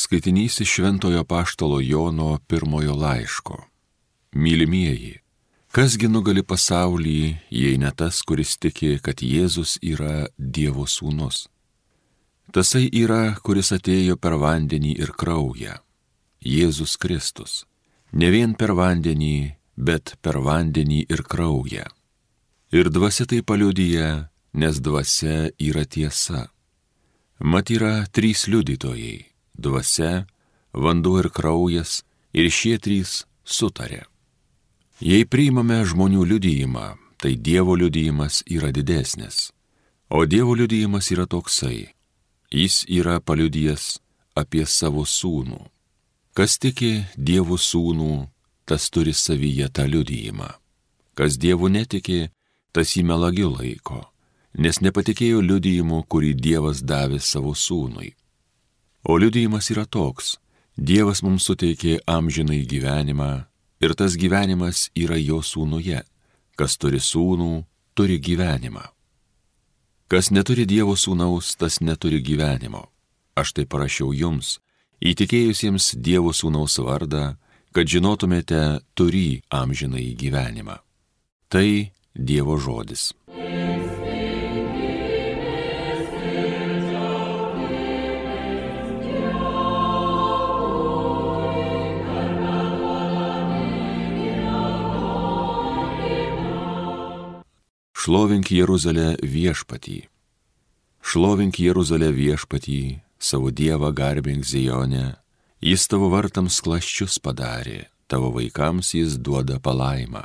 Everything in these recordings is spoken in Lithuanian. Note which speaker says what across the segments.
Speaker 1: Skaitinys iš Šventojo Apaštalo Jono pirmojo laiško. Mylimieji, kasgi nugali pasaulį, jei ne tas, kuris tiki, kad Jėzus yra Dievo sūnus? Tasai yra, kuris atėjo per vandenį ir kraują, Jėzus Kristus. Ne vien per vandenį, bet per vandenį ir kraują. Ir dvasia tai paliudija, nes dvasia yra tiesa. Mat yra trys liudytojai – dvasia, vanduo ir kraujas, ir šie trys sutarė. Jei priimame žmonių liudijimą, tai Dievo liudijimas yra didesnis. O Dievo liudijimas yra toksai. Jis yra paliudijęs apie savo sūnų. Kas tiki Dievo sūnų, tas turi savyje tą liudijimą. Kas Dievu netiki, tas jį melagiu laiko, nes nepatikėjo liudijimu, kurį Dievas davė savo sūnui. O liudijimas yra toks: Dievas mums suteikė amžinai gyvenimą, ir tas gyvenimas yra jo sūnuje. Kas turi sūnų, turi gyvenimą. Kas neturi Dievo sūnaus, tas neturi gyvenimo. Aš tai parašiau jums, įtikėjusiems Dievo sūnaus vardą, kad žinotumėte turį amžinai gyvenimą. Tai Dievo žodis. Šlovink Jeruzalę viešpatį. Šlovink Jeruzalę viešpatį, savo Dievą garbink Zione. Jis tavo vartams klasčius padarė, tavo vaikams jis duoda palaimą.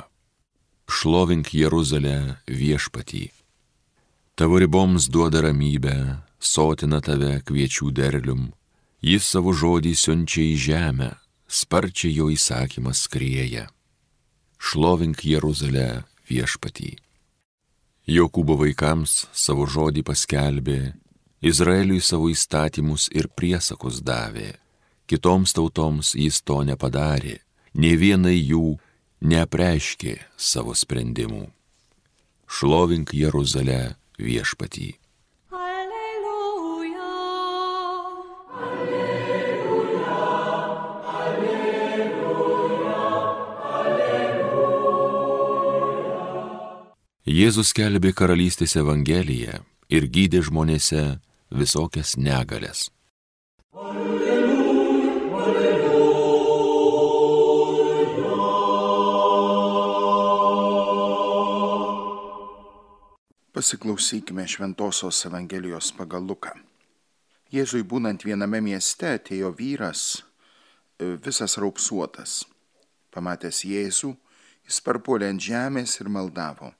Speaker 1: Šlovink Jeruzalę viešpatį. Tavo riboms duoda ramybę, sotina tave kviečių derlium. Jis savo žodį siunčia į žemę, sparčiai jo įsakymas skrieja. Šlovink Jeruzalę viešpatį. Jokūbo vaikams savo žodį paskelbė, Izraeliui savo įstatymus ir priesakus davė. Kitoms tautoms jis to nepadarė, nė vienai jų neapreiškė savo sprendimų. Šlovink Jeruzalę viešpatį. Jėzus skelbė karalystės evangeliją ir gydė žmonėse visokias negalias.
Speaker 2: Pasiklausykime Šventosios Evangelijos pagal Luką. Jėzui būnant viename mieste atėjo vyras, visas raupsuotas. Pamatęs Jėzų, jis parpuolė ant žemės ir maldavo: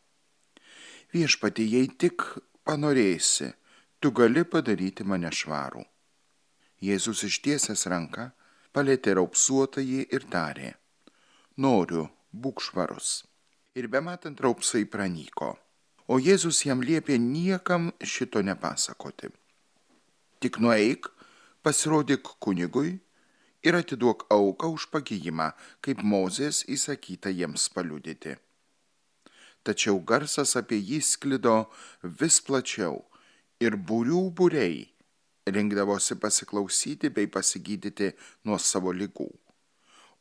Speaker 2: Viešpatie, jei tik panorėsi, tu gali padaryti mane švarų. Jėzus ištiesęs ranką palietė raupsuotąjį ir tarė: Noriu, būk švarus. Ir bematant raupsai pranyko. O Jėzus jam liepė niekam šito nepasakoti. Tik nueik, pasirodyk kunigui ir atiduok auką už pagijimą, kaip Mozės įsakyta jiems paliudyti. Tačiau garsas apie jį sklido vis plačiau ir būrių būriai rinkdavosi pasiklausyti bei pasigydyti nuo savo ligų,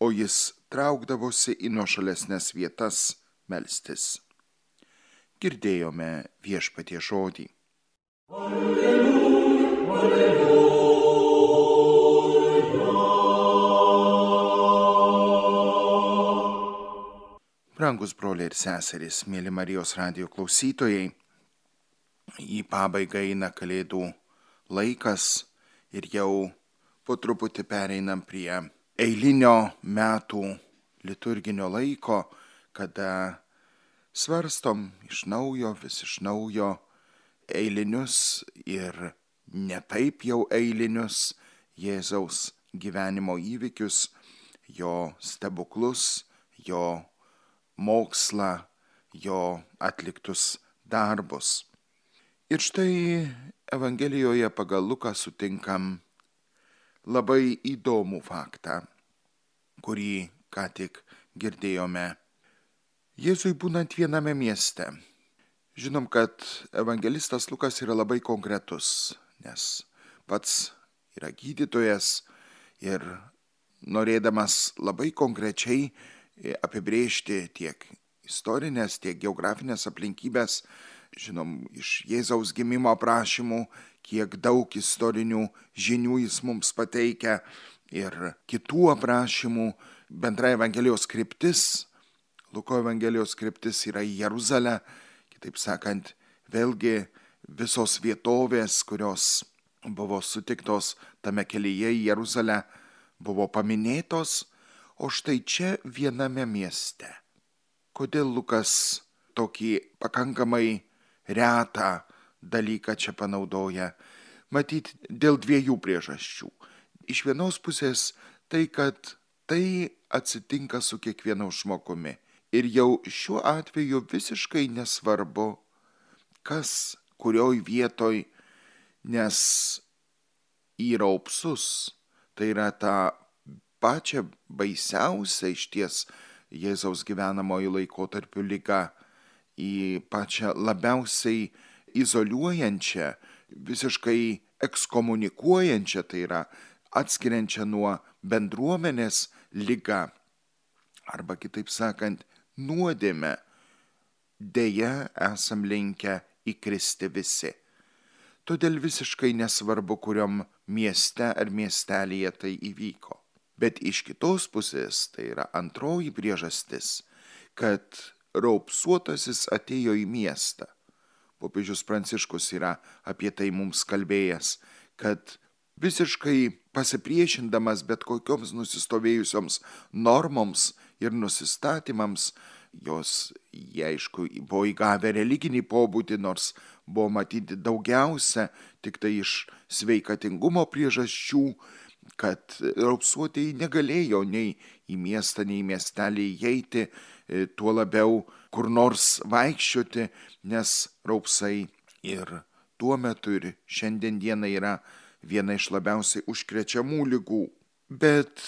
Speaker 2: o jis traukdavosi į nuošalesnes vietas melstis. Girdėjome Viešpaties žodį. Alleluja, alleluja. Brangus broliai ir seserys, mėly Marijos radijo klausytojai, į pabaigą eina Kalėdų laikas ir jau po truputį pereinam prie eilinio metų liturginio laiko, kada svarstom vis iš naujo eilinius ir netaip jau eilinius Jėzaus gyvenimo įvykius, jo stebuklus, jo mokslą, jo atliktus darbus. Ir štai Evangelijoje pagal Luką sutinkam labai įdomų faktą, kurį ką tik girdėjome. Jėzui būnant viename mieste. Žinom, kad evangelistas Lukas yra labai konkretus, nes pats yra gydytojas, Ir norėdamas labai konkrečiai apibrėžti tiek istorinės, tiek geografinės aplinkybės, žinom, iš Jėzaus gimimo aprašymų, kiek daug istorinių žinių jis mums pateikia ir kitų aprašymų. Bendra Evangelijos kryptis, Luko Evangelijos kryptis yra į Jeruzalę, kitaip sakant, vėlgi visos vietovės, kurios buvo sutiktos tame kelyje į Jeruzalę, buvo paminėtos, o štai čia viename mieste. Kodėl Lukas tokį pakankamai retą dalyką čia panaudoja? Matyt, dėl dviejų priežasčių. Iš vienos pusės tai, kad tai atsitinka su kiekvienu žmogumi. Ir jau šiuo atveju visiškai nesvarbu, kas, kurioj vietoj, nes į raupsus, tai yra tą pačią baisiausią išties Jėzaus gyvenamojo laikotarpiu ligą, į pačią labiausiai izoliuojančią, visiškai ekskomunikuojančią, tai yra atskiriančią nuo bendruomenės ligą, arba kitaip sakant, nuodėmę, deja esam linkę įkristi visi. Todėl visiškai nesvarbu, kuriom mieste ar miestelėje tai įvyko. Bet iš kitos pusės, tai yra antroji priežastis, kad raupsuotasis atėjo į miestą. Popiežius Pranciškus yra apie tai mums kalbėjęs, kad visiškai pasipriešindamas bet kokioms nusistovėjusioms normoms ir nusistatymams, jie aišku buvo įgavę religinį pobūdį, nors buvo matyti daugiausia tik tai iš sveikatingumo priežasčių, kad raupsuotieji negalėjo nei į miestą, nei į miestelį įeiti, tuo labiau kur nors vaikščioti, nes raupsai ir tuo metu ir šiandien dieną yra viena iš labiausiai užkrečiamų ligų. Bet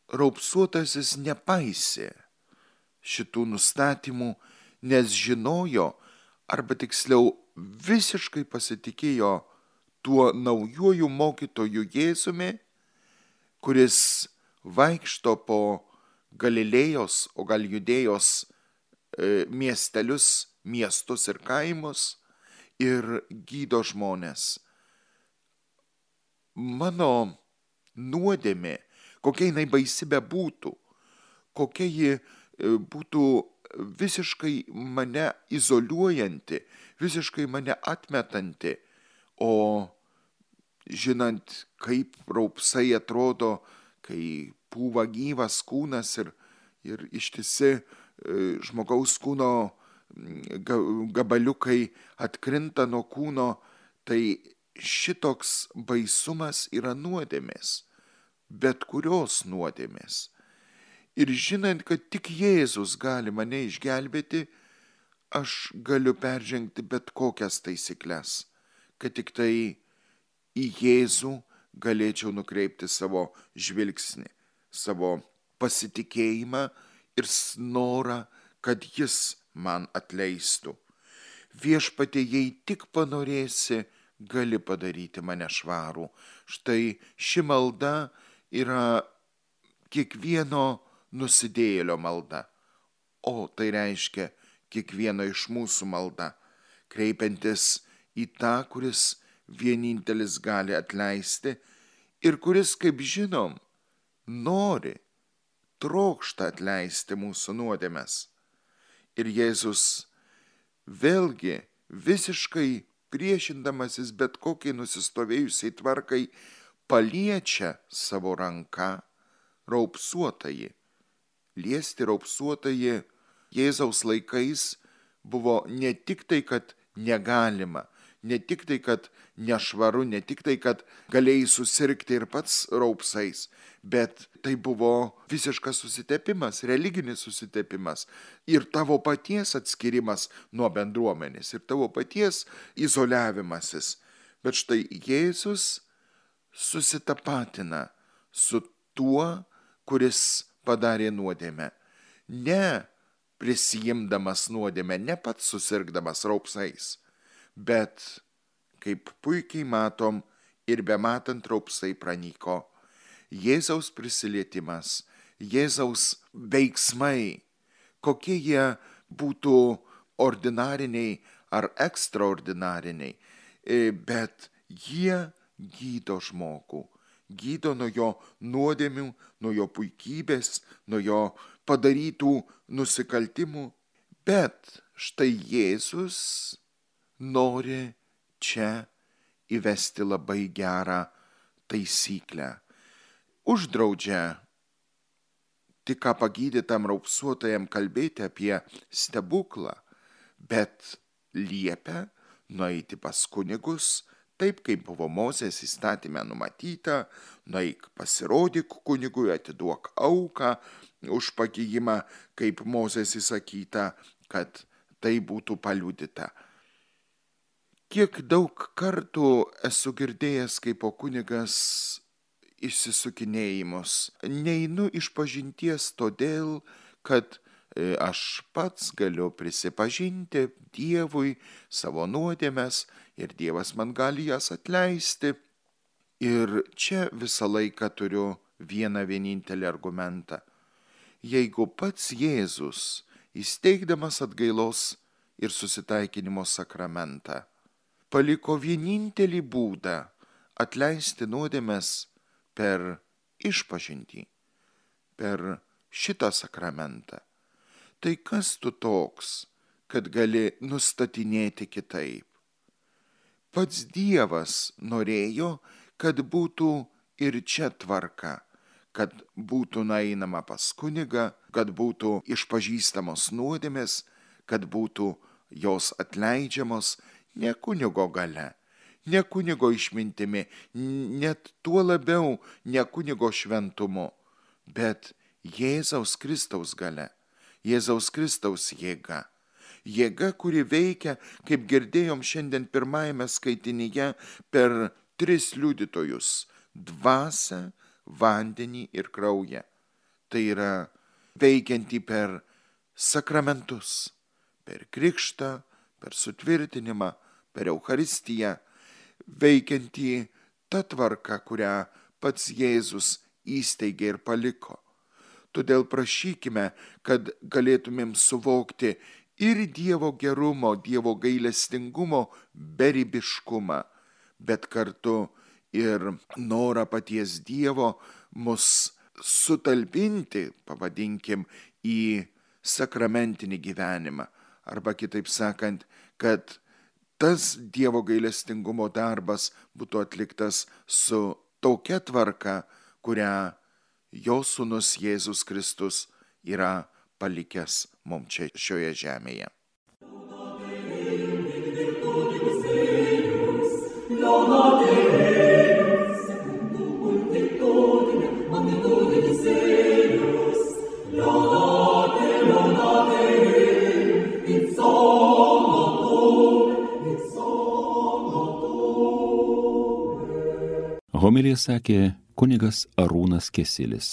Speaker 2: raupsuotasis nepaisė šitų nustatymų, nes žinojo, arba tiksliau visiškai pasitikėjo tuo naujuoju mokytoju Jėzumi, kuris vaikšto po Galilėjos, o gal Judėjos miestelius, miestus ir kaimus ir gydo žmones. Mano nuodėmė, kokia jinai baisi bebūtų, kokia ji būtų visiškai mane izoliuojanti, visiškai mane atmetanti, o žinant, kaip raupsai atrodo, kai pūva gyvas kūnas ir ištisi žmogaus kūno gabaliukai atkrinta nuo kūno, tai šitoks baisumas yra nuodėmės, bet kurios nuodėmės. Ir žinant, kad tik Jėzus gali mane išgelbėti, aš galiu peržengti bet kokias taisyklės, kad tik tai į Jėzų galėčiau nukreipti savo žvilgsnį, savo pasitikėjimą ir norą, kad jis man atleistų. Viešpatie, jei tik panorėsi, gali padaryti mane švarų. Štai ši malda yra kiekvieno nusidėjėlio malda, o tai reiškia kiekvieno iš mūsų malda, kreipiantis į tą, kuris vienintelis gali atleisti ir kuris, kaip žinom, nori, trokšta atleisti mūsų nuodėmes. Ir Jėzus vėlgi visiškai priešindamasis bet kokiai nusistovėjusiai tvarkai paliečia savo ranką raupsuotąjį. Liesti raupsuotąjį Jėzaus laikais buvo ne tik tai, kad negalima, ne tik tai, kad nešvaru, ne tik tai, kad galėjai susirgti ir pats raupsais, bet tai buvo visiškas susitepimas, religinis susitepimas ir tavo paties atskirimas nuo bendruomenės ir tavo paties izoliavimasis. Bet štai Jėzus susitapatina su tuo, kuris padarė nuodėmę. Ne prisijimdamas nuodėmę, ne pats susirgdamas raupsais, bet, kaip puikiai matom, ir bematant raupsai pranyko. Jėzaus prisilietimas, Jėzaus veiksmai, kokie jie būtų ordinariniai ar ekstraordinariniai, bet jie gydo žmogų, gydo nuo jo nuodėmių, nuo jo puikybės, nuo jo padarytų nusikaltimų. Bet štai Jėzus nori čia įvesti labai gerą taisyklę. Uždraudžia tik ką pagydytam raupsuotajam kalbėti apie stebuklą, bet liepia nueiti pas kunigus, taip kaip buvo Mozės įstatyme numatyta, nueik pasirodyk kunigui, atiduok auką už pagijimą, kaip Mozės įsakyta, kad tai būtų paliudyta. Kiek daug kartų esu girdėjęs, kaip po kunigas išsisukinėjimus. Neinu išpažinties todėl, kad aš pats galiu prisipažinti Dievui savo nuodėmes ir Dievas man gali jas atleisti. Ir čia visą laiką turiu vieną vienintelį argumentą. Jeigu pats Jėzus, įsteigdamas atgailos ir susitaikinimo sakramentą, paliko vienintelį būdą atleisti nuodėmes per išpažintį, per šitą sakramentą, tai kas tu toks, kad gali nustatinėti kitaip? Pats Dievas norėjo, kad būtų ir čia tvarka, kad būtų nueinama pas kunigą, kad būtų išpažįstamos nuodėmės, kad būtų jos atleidžiamos ne kunigo galia, ne kunigo išmintimi, net tuo labiau ne kunigo šventumu, bet Jėzaus Kristaus galia, Jėzaus Kristaus jėga. Jėga, kuri veikia, kaip girdėjom šiandien pirmajame skaitinyje, per 3 liudytojus – dvasią, vandenį ir kraują. Tai yra veikianti per sakramentus, per krikštą, per sutvirtinimą, per Eucharistiją, veikianti ta tvarka, kurią pats Jėzus įsteigė ir paliko. Todėl prašykime, kad galėtumėm suvokti ir Dievo gerumo, Dievo gailestingumo beribiškumą, bet kartu ir norą paties Dievo mus sutalpinti, pavadinkim, į sakramentinį gyvenimą. Arba kitaip sakant, kad tas Dievo gailestingumo darbas būtų atliktas su tokia tvarka, kurią jo sūnus Jėzus Kristus yra palikęs mums čia šioje žemėje.
Speaker 1: Homiliją sakė kunigas Arūnas Kesilis.